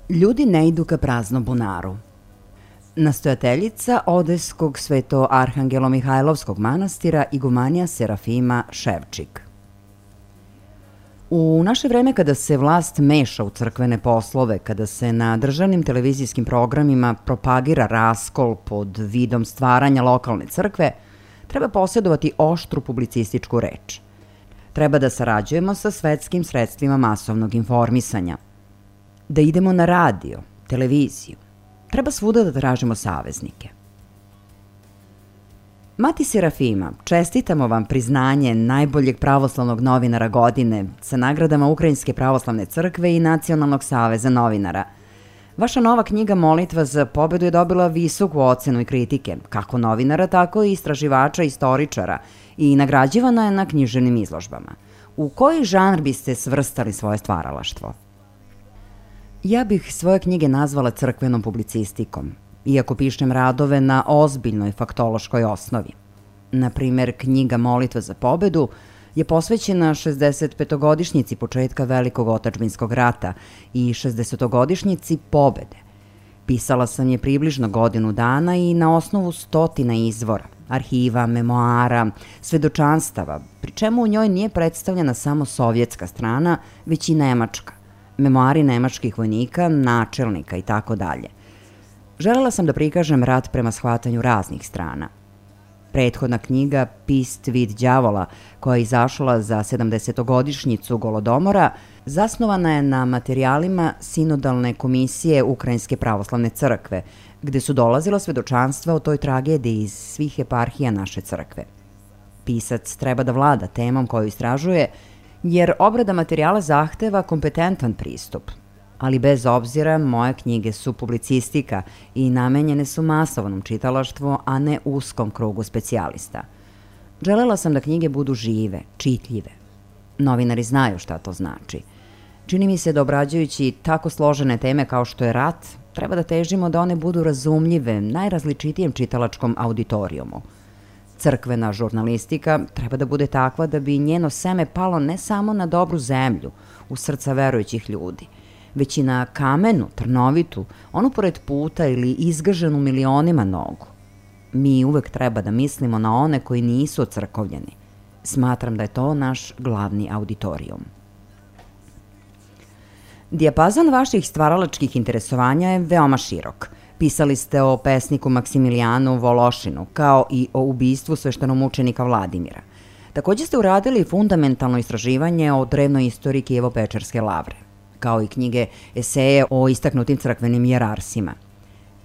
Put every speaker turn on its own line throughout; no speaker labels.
Ljudi ne idu ka praznom bunaru. Nastojateljica Odeskog Sveto-Arhangelo-Mihajlovskog manastira igumanija Serafima Ševčik. U naše vreme kada se vlast meša u crkvene poslove, kada se na državnim televizijskim programima propagira raskol pod vidom stvaranja lokalne crkve, treba posjedovati oštru publicističku reč. Treba da sarađujemo sa svetskim sredstvima masovnog informisanja. Da idemo na radio, televiziju. Treba svuda da tražimo saveznike. Mati Serafima, čestitamo vam priznanje najboljeg pravoslavnog novinara godine sa nagradama Ukrajinske pravoslavne crkve i Nacionalnog saveza novinara. Vaša nova knjiga Molitva za pobedu je dobila visoku ocenu i kritike, kako novinara, tako i istraživača, istoričara, i nagrađivana je na književnim izložbama. U koji žanr biste svrstali svoje stvaralaštvo? Ja bih svoje knjige nazvala crkvenom publicistikom, iako pišem radove na ozbiljnoj faktološkoj osnovi. Naprimer, knjiga Molitva za pobedu je posvećena 65-godišnjici početka Velikog otadžbinskog rata i 60-godišnjici pobede. Pisala sam je približno godinu dana i na osnovu stotina izvora, arhiva, memoara, svedočanstava, pri čemu u njoj nije predstavljena samo sovjetska strana, već i nemačka, memoari nemačkih vojnika, načelnika i tako dalje. Želela sam da prikažem rat prema shvatanju raznih strana. Prethodna knjiga Pist vid đavola, koja je izašla za 70-godišnjicu Golodomora, zasnovana je na materijalima Sinodalne komisije Ukrajinske pravoslavne crkve, gde su dolazila svedočanstva o toj tragediji iz svih eparhija naše crkve. Pisac treba da vlada temom koju istražuje, jer obrada materijala zahteva kompetentan pristup. Ali bez obzira, moje knjige su publicistika i namenjene su masovnom čitalaštvu, a ne uskom krugu specijalista. Želela sam da knjige budu žive, čitljive. Novinari znaju šta to znači. Čini mi se da obrađujući tako složene teme kao što je rat, treba da težimo da one budu razumljive najrazličitijem čitalačkom auditorijumu. Crkvena žurnalistika treba da bude takva da bi njeno seme palo ne samo na dobru zemlju, u srca verujućih ljudi, već i na kamenu, trnovitu, onu pored puta ili izgaženu milionima nogu. Mi uvek treba da mislimo na one koji nisu ocrkovljeni. Smatram da je to naš glavni auditorijum. Dijapazon vaših stvaralačkih interesovanja je veoma širok. Pisali ste o pesniku Maksimilijanu Vološinu, kao i o ubistvu sveštenomučenika Vladimira. Takođe ste uradili fundamentalno istraživanje o drevnoj istoriji Kijevo-Pečerske lavre, kao i knjige eseje o istaknutim crkvenim jerarsima.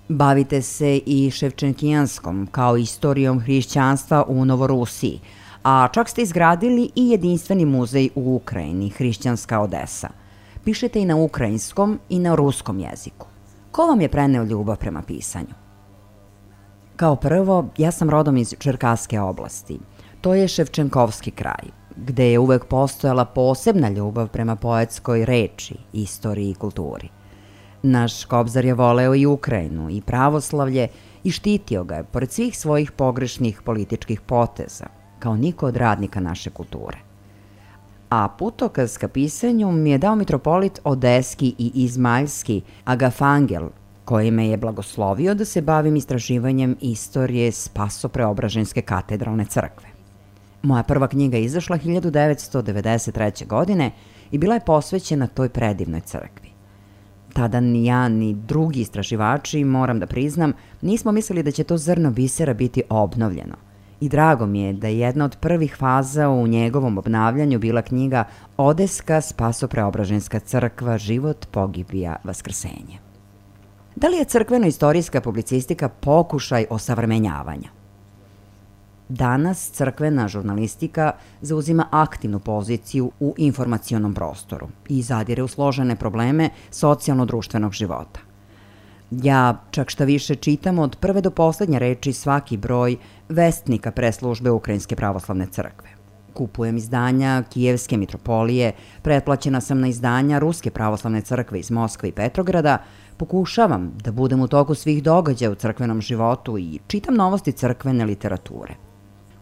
Bavite se i Ševčenkijanskom, kao istorijom hrišćanstva u Novorusiji, a čak ste izgradili i jedinstveni muzej u Ukrajini, Hrišćanska Odesa. Pišete i na ukrajinskom i na ruskom jeziku. Ko vam je preneo ljubav prema pisanju? Kao prvo, ja sam rodom iz Čerkaske oblasti. To je Ševčenkovski kraj, gde je uvek postojala posebna ljubav prema poetskoj reči, istoriji i kulturi. Naš Kobzar je voleo i Ukrajinu i pravoslavlje i štitio ga je, pored svih svojih pogrešnih političkih poteza, kao niko od radnika naše kulture. A putokaz ka pisanju mi je dao mitropolit Odeski i Izmailski Agafangel, koji me je blagoslovio da se bavim istraživanjem istorije Spasopreobraženske katedralne crkve. Moja prva knjiga je izašla 1993. godine i bila je posvećena toj predivnoj crkvi. Tada ni ja ni drugi istraživači, moram da priznam, nismo mislili da će to zrno bisera biti obnovljeno. I drago mi je da je jedna od prvih faza u njegovom obnavljanju bila knjiga Odeska Spasopreobraženska crkva, život, pogibija, vaskrsenje. Da li je crkveno-istorijska publicistika pokušaj osavremenjavanja? Danas crkvena žurnalistika zauzima aktivnu poziciju u informacionom prostoru i zadire u složene probleme socijalno-društvenog života. Ja čak šta više čitam od prve do poslednje reči svaki broj vestnika preslužbe Ukrajinske pravoslavne crkve. Kupujem izdanja Kijevske mitropolije, pretplaćena sam na izdanja Ruske pravoslavne crkve iz Moskve i Petrograda, pokušavam da budem u toku svih događaja u crkvenom životu i čitam novosti crkvene literature.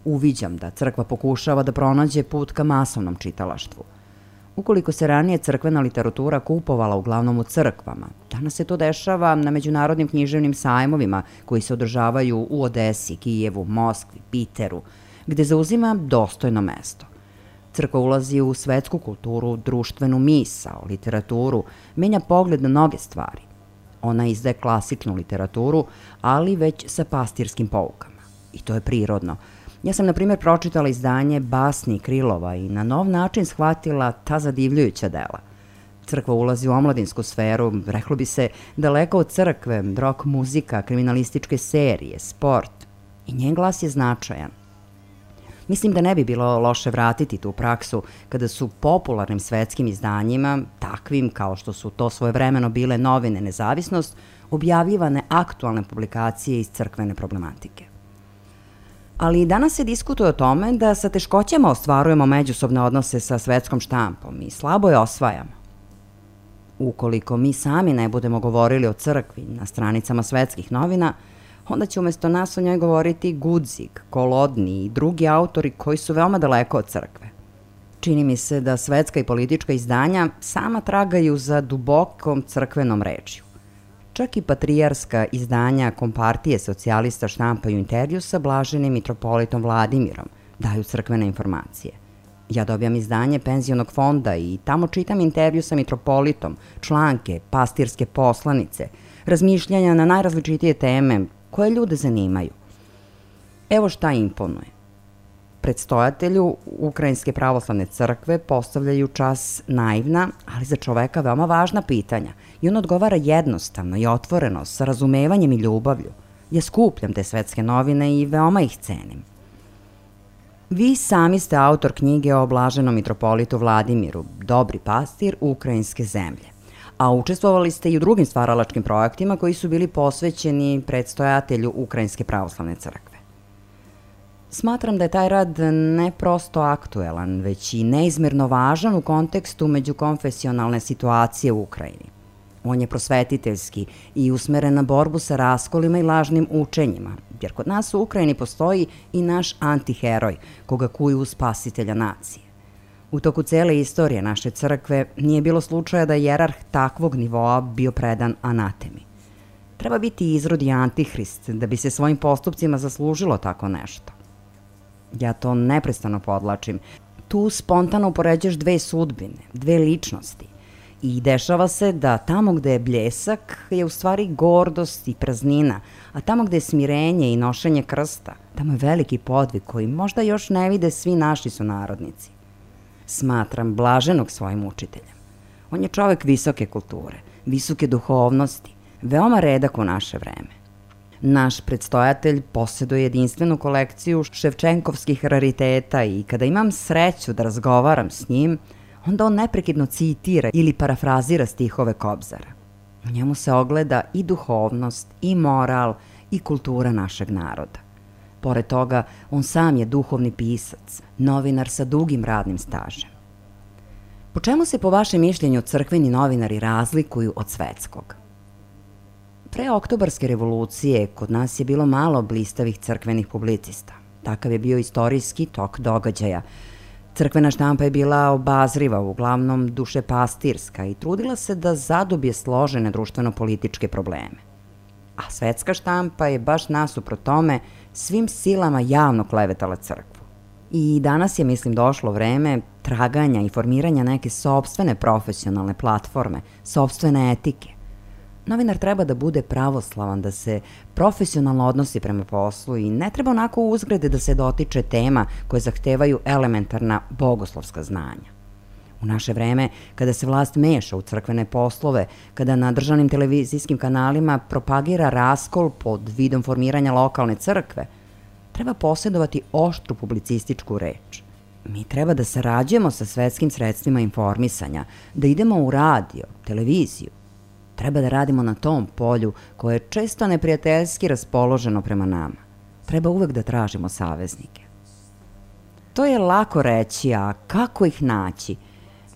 Uviđam da crkva pokušava da pronađe put ka masovnom čitalaštvu. Ukoliko se ranije crkvena literatura kupovala uglavnom u crkvama, danas se to dešava na međunarodnim književnim sajmovima koji se održavaju u Odesi, Kijevu, Moskvi, Piteru, gde zauzima dostojno mesto. Crkva ulazi u svetsku kulturu, društvenu misao, literaturu, menja pogled na mnoge stvari. Ona izdaje klasičnu literaturu, ali već sa pastirskim poukama. I to je prirodno. Ja sam, na primjer, pročitala izdanje Basni Krilova i na nov način shvatila ta zadivljujuća dela. Crkva ulazi u omladinsku sferu, reklo bi se daleko od crkve, rock muzika, kriminalističke serije, sport. I njen glas je značajan. Mislim da ne bi bilo loše vratiti tu praksu kada su popularnim svetskim izdanjima, takvim kao što su to svojevremeno bile novine Nezavisnost, objavljivane aktualne publikacije iz crkvene problematike. Ali danas se diskutuje o tome da sa teškoćama ostvarujemo međusobne odnose sa svetskom štampom i slabo je osvajamo. Ukoliko mi sami ne budemo govorili o crkvi na stranicama svetskih novina, onda će umesto nas o njoj govoriti Gudzig, Kolodni i drugi autori koji su veoma daleko od crkve. Čini mi se da svetska i politička izdanja sama tragaju za dubokom crkvenom rečju. Čak i patrijarska izdanja Kompartije socijalista štampaju intervju sa blaženim mitropolitom Vladimirom, daju crkvene informacije. Ja dobijam izdanje penzionog fonda i tamo čitam intervju sa mitropolitom, članke, pastirske poslanice, razmišljanja na najrazličitije teme koje ljude zanimaju. Evo šta imponuje. Predstojatelju Ukrajinske pravoslavne crkve postavljaju čas naivna, ali za čoveka veoma važna pitanja i on odgovara jednostavno i otvoreno, sa razumevanjem i ljubavlju. Ja skupljam te svetske novine i veoma ih cenim. Vi sami ste autor knjige o blaženom mitropolitu Vladimiru, Dobri pastir ukrajinske zemlje, a učestvovali ste i u drugim stvaralačkim projektima koji su bili posvećeni predstojatelju Ukrajinske pravoslavne crkve. Smatram da je taj rad ne prosto aktuelan, već i neizmerno važan u kontekstu međukonfesionalne situacije u Ukrajini. On je prosvetiteljski i usmeren na borbu sa raskolima i lažnim učenjima, jer kod nas u Ukrajini postoji i naš antiheroj, koga kuju spasitelja nacije. U toku cele istorije naše crkve nije bilo slučaja da je jerarh takvog nivoa bio predan anatemi. Treba biti izrodi antihrist da bi se svojim postupcima zaslužilo tako nešto. Ja to neprestano podlačim. Tu spontano upoređaš dve sudbine, dve ličnosti. I dešava se da tamo gde je bljesak je u stvari gordost i praznina, a tamo gde je smirenje i nošenje krsta, tamo je veliki podvig koji možda još ne vide svi naši sunarodnici. Smatram blaženog svojim učiteljem. On je čovek visoke kulture, visoke duhovnosti, veoma redak u naše vreme. Naš predstojatelj posjeduje jedinstvenu kolekciju ševčenkovskih rariteta i kada imam sreću da razgovaram s njim, onda on neprekidno citira ili parafrazira stihove Kobzara. U njemu se ogleda i duhovnost, i moral, i kultura našeg naroda. Pored toga, on sam je duhovni pisac, novinar sa dugim radnim stažem. Po čemu se po vašem mišljenju crkveni novinari razlikuju od svetskog? Pre Oktobarske revolucije kod nas je bilo malo blistavih crkvenih publicista. Takav je bio istorijski tok događaja. Crkvena štampa je bila obazriva, uglavnom dušepastirska i trudila se da zadobije složene društveno-političke probleme. A svetska štampa je baš nasuprot tome svim silama javno klevetala crkvu. I danas je, mislim, došlo vreme traganja i formiranja neke sopstvene profesionalne platforme, sopstvene etike. Novinar treba da bude pravoslavan, da se profesionalno odnosi prema poslu i ne treba onako uzgrade da se dotiče tema koje zahtevaju elementarna bogoslovska znanja. U naše vreme, kada se vlast meša u crkvene poslove, kada na državnim televizijskim kanalima propagira raskol pod vidom formiranja lokalne crkve, treba posjedovati oštru publicističku reč. Mi treba da sarađujemo sa svetskim sredstvima informisanja, da idemo u radio, televiziju. Treba da radimo na tom polju koje je često neprijateljski raspoloženo prema nama. Treba uvek da tražimo saveznike. To je lako reći, a kako ih naći?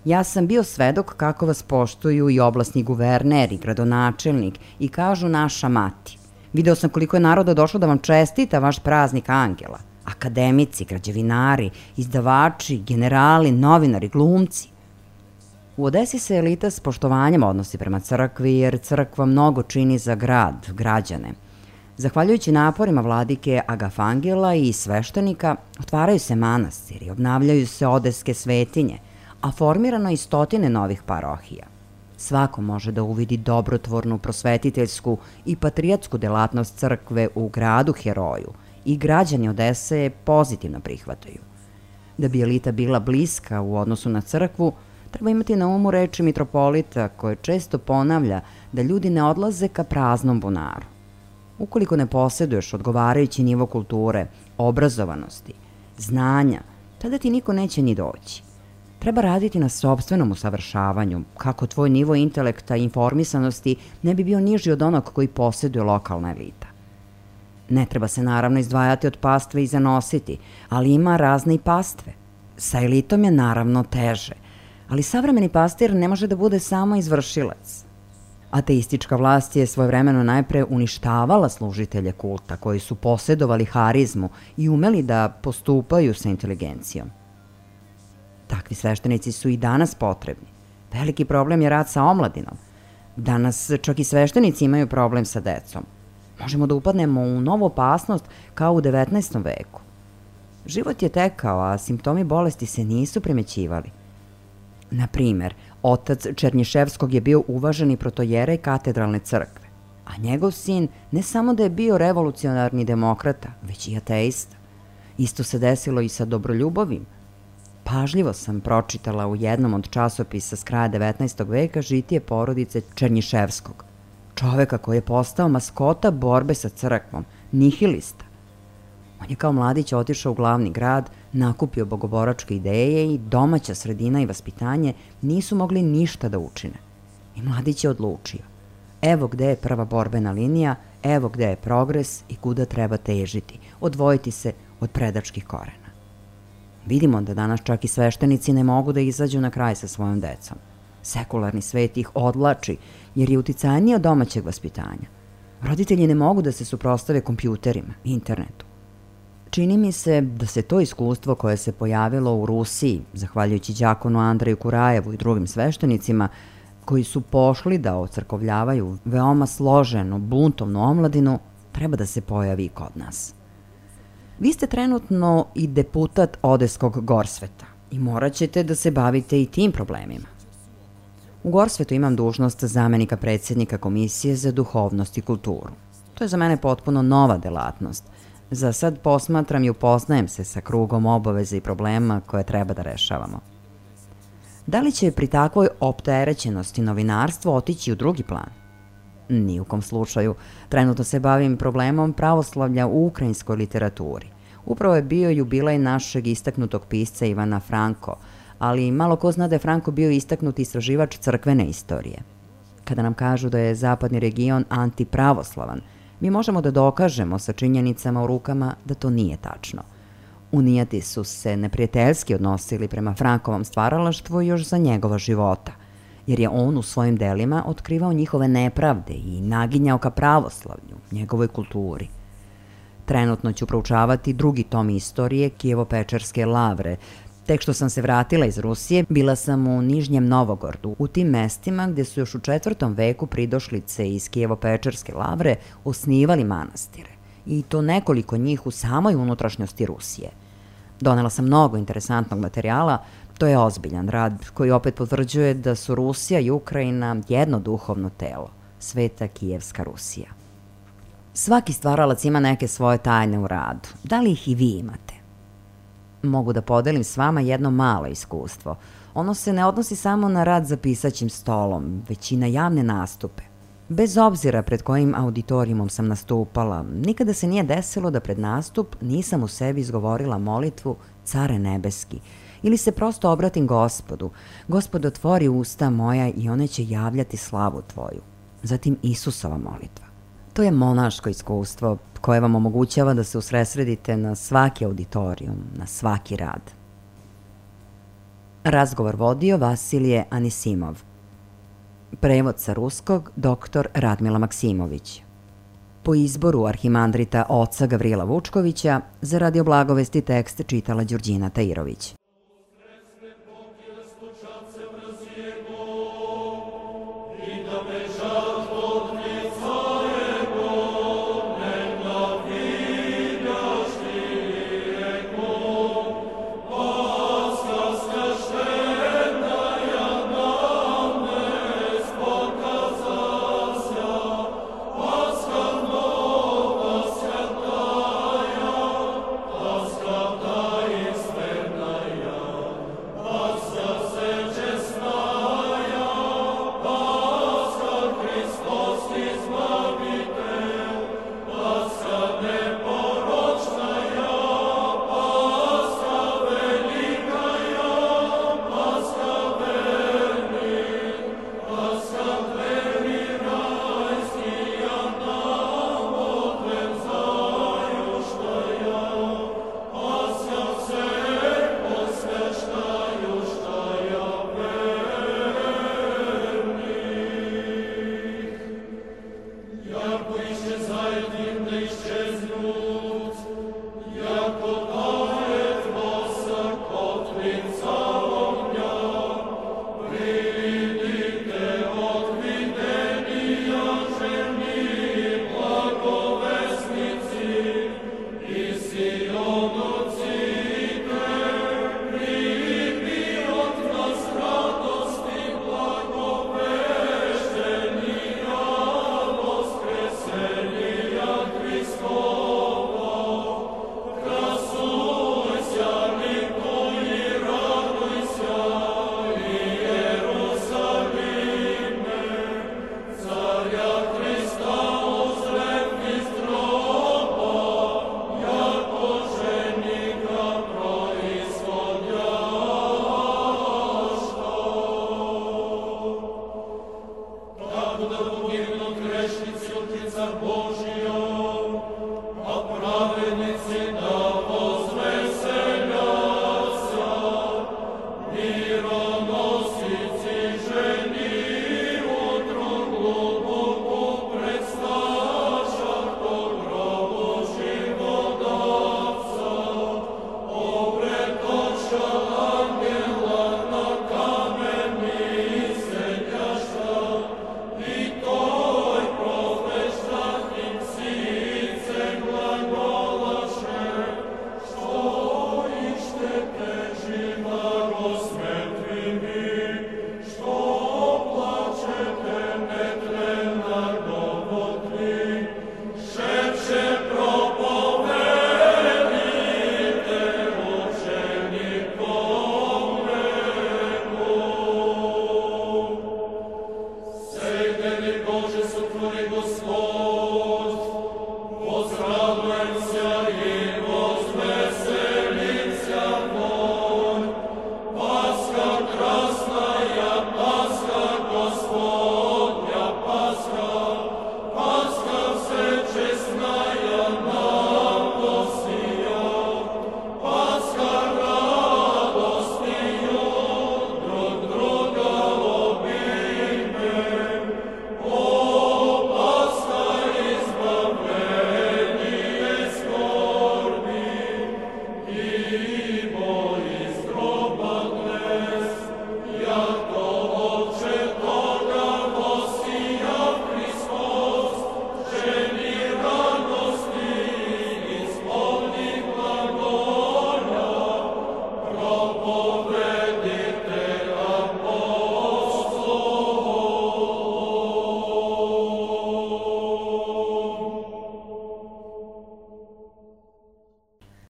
Ja sam bio svedok kako vas poštuju i oblasni guverner i gradonačelnik i kažu naša mati. Video sam koliko je naroda došlo da vam čestita vaš praznik Angela. Akademici, građevinari, izdavači, generali, novinari, glumci. U Odesi se elita s poštovanjem odnosi prema crkvi, jer crkva mnogo čini za grad, građane. Zahvaljujući naporima vladike Agafangela i sveštenika, otvaraju se manastiri, obnavljaju se odeske svetinje, a formirano i stotine novih parohija. Svako može da uvidi dobrotvornu, prosvetiteljsku i patriotsku delatnost crkve u gradu heroju i građani Odese je pozitivno prihvataju. Da bi elita bila bliska u odnosu na crkvu, treba imati na umu reči mitropolita koje često ponavlja da ljudi ne odlaze ka praznom bunaru. Ukoliko ne posjeduješ odgovarajući nivo kulture, obrazovanosti, znanja, tada ti niko neće ni doći. Treba raditi na sopstvenom usavršavanju, kako tvoj nivo intelekta i informisanosti ne bi bio niži od onog koji posjeduje lokalna elita. Ne treba se naravno izdvajati od pastve i zanositi, ali ima razne i pastve. Sa elitom je naravno teže, ali savremeni pastir ne može da bude samo izvršilac. Ateistička vlast je svojevremeno najpre uništavala služitelje kulta koji su posjedovali harizmu i umeli da postupaju sa inteligencijom. Takvi sveštenici su i danas potrebni. Veliki problem je rad sa omladinom. Danas čak i sveštenici imaju problem sa decom. Možemo da upadnemo u novu opasnost kao u 19. veku. Život je tekao, a simptomi bolesti se nisu primećivali. Na primer, otac Černjiševskog je bio uvaženi protojerej katedralne crkve, a njegov sin ne samo da je bio revolucionarni demokrata, već i ateista. Isto se desilo i sa Dobroljubovim. Pažljivo sam pročitala u jednom od časopisa s kraja 19. veka žitije porodice Černjiševskog, čoveka koji je postao maskota borbe sa crkvom, nihilista. On je kao mladić otišao u glavni grad, nakupio bogoboračke ideje i domaća sredina i vaspitanje nisu mogli ništa da učine. I mladić je odlučio. Evo gde je prva borbena linija, evo gde je progres i kuda treba težiti, odvojiti se od predačkih korena. Vidimo da danas čak i sveštenici ne mogu da izađu na kraj sa svojom decom. Sekularni svet ih odvlači jer je uticajniji od domaćeg vaspitanja. Roditelji ne mogu da se suprotstave kompjuterima, internetu. Čini mi se da se to iskustvo koje se pojavilo u Rusiji, zahvaljujući đakonu Andreju Kurajevu i drugim sveštenicima, koji su pošli da ocrkovljavaju veoma složenu, buntovnu omladinu, treba da se pojavi i kod nas. Vi ste trenutno i deputat Odeskog Gorsveta i morat ćete da se bavite i tim problemima. U Gorsvetu imam dužnost zamenika predsjednika Komisije za duhovnost i kulturu. To je za mene potpuno nova delatnost. Za sad posmatram i upoznajem se sa krugom obaveza i problema koje treba da rešavamo. Da li će pri takvoj opterećenosti novinarstvo otići u drugi plan? Ni u kom slučaju. Trenutno se bavim problemom pravoslavlja u ukrajinskoj literaturi. Upravo je bio jubilej našeg istaknutog pisca Ivana Franko, ali malo ko zna da je Franko bio istaknuti istraživač crkvene istorije. Kada nam kažu da je zapadni region antipravoslavan, mi možemo da dokažemo sa činjenicama u rukama da to nije tačno. Unijati su se neprijateljski odnosili prema Frankovom stvaralaštvu još za njegova života, jer je on u svojim delima otkrivao njihove nepravde i naginjao ka pravoslavlju, njegovoj kulturi. Trenutno ću proučavati drugi tom istorije Kijevo-Pečerske lavre. Tek što sam se vratila iz Rusije, bila sam u Nižnjem Novogordu, u tim mestima gde su još u 4. veku pridošlice iz Kijevo-Pečerske lavre osnivali manastire, i to nekoliko njih u samoj unutrašnjosti Rusije. Donela sam mnogo interesantnog materijala, to je ozbiljan rad koji opet potvrđuje da su Rusija i Ukrajina jedno duhovno telo, Sveta Kijevska Rusija. Svaki stvaralac ima neke svoje tajne u radu. Da li ih i vi imate? Mogu da podelim s vama jedno malo iskustvo. Ono se ne odnosi samo na rad za pisaćim stolom, već i na javne nastupe. Bez obzira pred kojim auditorijumom sam nastupala, nikada se nije desilo da pred nastup nisam u sebi izgovorila molitvu Care nebeski ili se prosto obratim Gospodu. Gospod, otvori usta moja i one će javljati slavu tvoju. Zatim Isusova molitva. To je monaško iskustvo koje vam omogućava da se usredsredite na svaki auditorijum, na svaki rad. Razgovor vodio Vasilije Anisimov. Prevod sa ruskog dr. Radmila Maksimović. Po izboru arhimandrita oca Gavrila Vučkovića, za Radio Blagovesti tekst čitala Đurđina Tajirović.